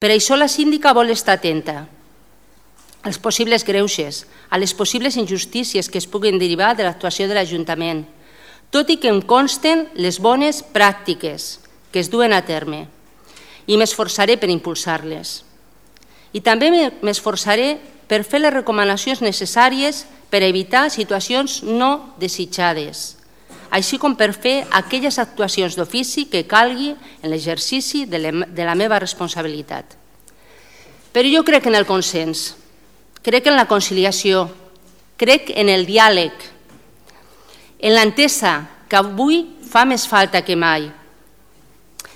Per això la síndica vol estar atenta als possibles greuges, a les possibles injustícies que es puguin derivar de l'actuació de l'Ajuntament, tot i que em consten les bones pràctiques que es duen a terme, i m'esforçaré per impulsar-les. I també m'esforçaré per fer les recomanacions necessàries per evitar situacions no desitjades, així com per fer aquelles actuacions d'ofici que calgui en l'exercici de la meva responsabilitat. Però jo crec en el consens, crec en la conciliació, crec en el diàleg, en l'entesa que avui fa més falta que mai.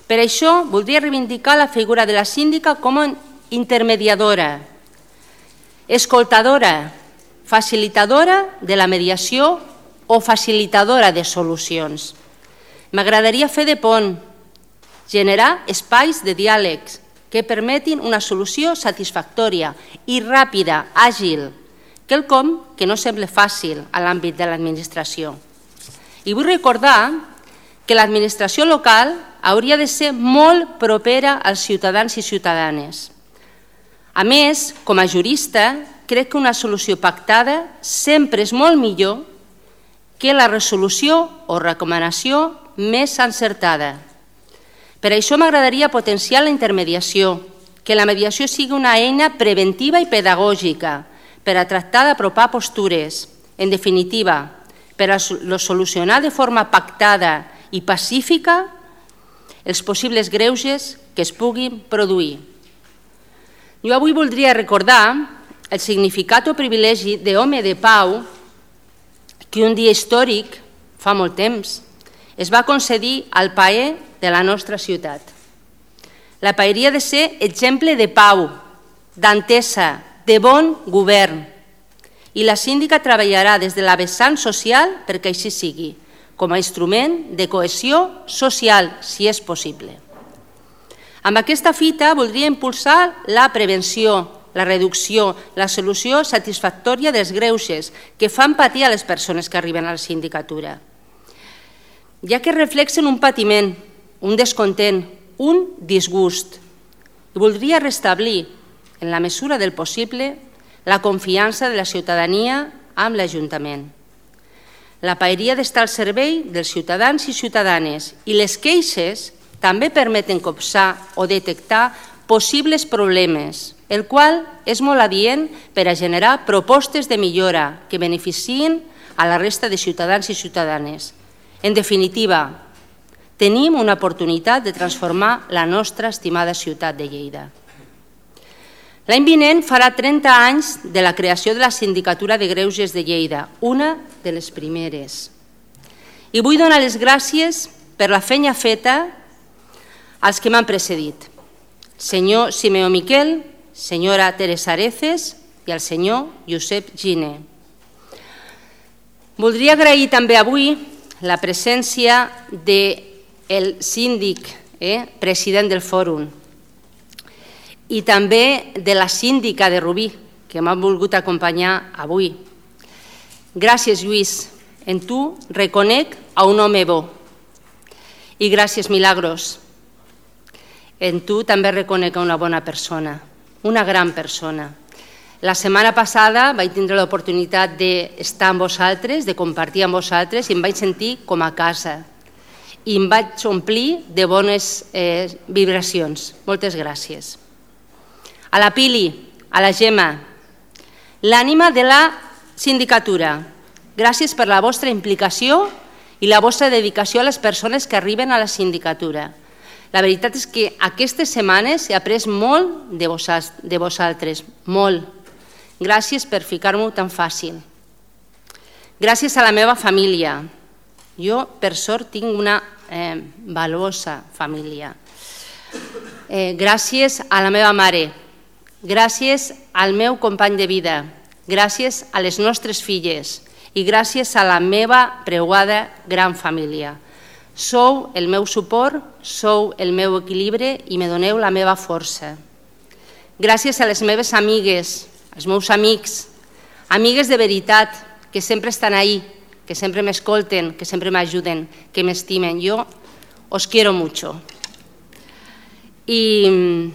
Per això voldria reivindicar la figura de la síndica com a intermediadora, escoltadora, facilitadora de la mediació o facilitadora de solucions. M'agradaria fer de pont, generar espais de diàlegs que permetin una solució satisfactòria i ràpida, àgil, quelcom que no sembla fàcil a l'àmbit de l'administració. I vull recordar que l'administració local hauria de ser molt propera als ciutadans i ciutadanes. A més, com a jurista, crec que una solució pactada sempre és molt millor que la resolució o recomanació més encertada. Per això m'agradaria potenciar la intermediació, que la mediació sigui una eina preventiva i pedagògica per a tractar d'apropar postures, en definitiva, per a solucionar de forma pactada i pacífica els possibles greuges que es puguin produir. Jo avui voldria recordar el significat o privilegi d'home de pau que un dia històric, fa molt temps, es va concedir al paer de la nostra ciutat. La paeria ha de ser exemple de pau, d'entesa, de bon govern, i la síndica treballarà des de la vessant social perquè així sigui, com a instrument de cohesió social, si és possible. Amb aquesta fita voldria impulsar la prevenció, la reducció, la solució satisfactòria dels greuges que fan patir a les persones que arriben a la sindicatura, ja que reflexen un patiment, un descontent, un disgust. I voldria restablir, en la mesura del possible, la confiança de la ciutadania amb l'Ajuntament. La paeria ha d'estar al servei dels ciutadans i ciutadanes i les queixes també permeten copsar o detectar possibles problemes, el qual és molt adient per a generar propostes de millora que beneficien a la resta de ciutadans i ciutadanes. En definitiva, tenim una oportunitat de transformar la nostra estimada ciutat de Lleida. L'any vinent farà 30 anys de la creació de la Sindicatura de Greuges de Lleida, una de les primeres. I vull donar les gràcies per la feina feta als que m'han precedit. Senyor Simeó Miquel, senyora Teresa Areces i al senyor Josep Giner. Voldria agrair també avui la presència del síndic, president del fòrum, i també de la síndica de Rubí, que m'ha volgut acompanyar avui. Gràcies, Lluís. En tu reconec a un home bo. I gràcies, Milagros. En tu també reconec a una bona persona, una gran persona. La setmana passada vaig tindre l'oportunitat d'estar amb vosaltres, de compartir amb vosaltres, i em vaig sentir com a casa. I em vaig omplir de bones vibracions. Moltes gràcies. A la Pili, a la Gemma, l'ànima de la sindicatura. Gràcies per la vostra implicació i la vostra dedicació a les persones que arriben a la sindicatura. La veritat és que aquestes setmanes he après molt de vosaltres, molt. Gràcies per ficar-m'ho tan fàcil. Gràcies a la meva família. Jo, per sort, tinc una valuosa família. Gràcies a la meva mare. Gràcies al meu company de vida. Gràcies a les nostres filles. I gràcies a la meva preuada gran família. Sou el meu suport, sou el meu equilibri i me doneu la meva força. Gràcies a les meves amigues, als meus amics, amigues de veritat, que sempre estan ahí, que sempre m'escolten, que sempre m'ajuden, que m'estimen. Jo os quiero mucho. I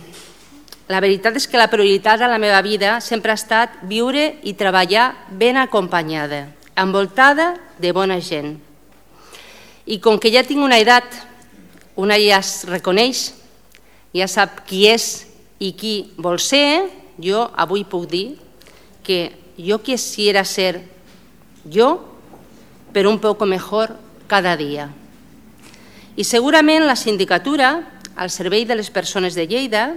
La veritat és que la prioritat a la meva vida sempre ha estat viure i treballar ben acompanyada, envoltada de bona gent. I com que ja tinc una edat, una ja es reconeix, ja sap qui és i qui vol ser, jo avui puc dir que yo quisiera ser yo, pero un poco mejor cada dia. I segurament la sindicatura, al servei de les persones de Lleida,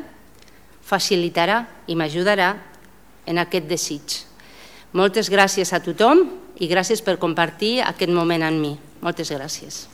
facilitarà i m'ajudarà en aquest desig. Moltes gràcies a tothom i gràcies per compartir aquest moment amb mi. Moltes gràcies.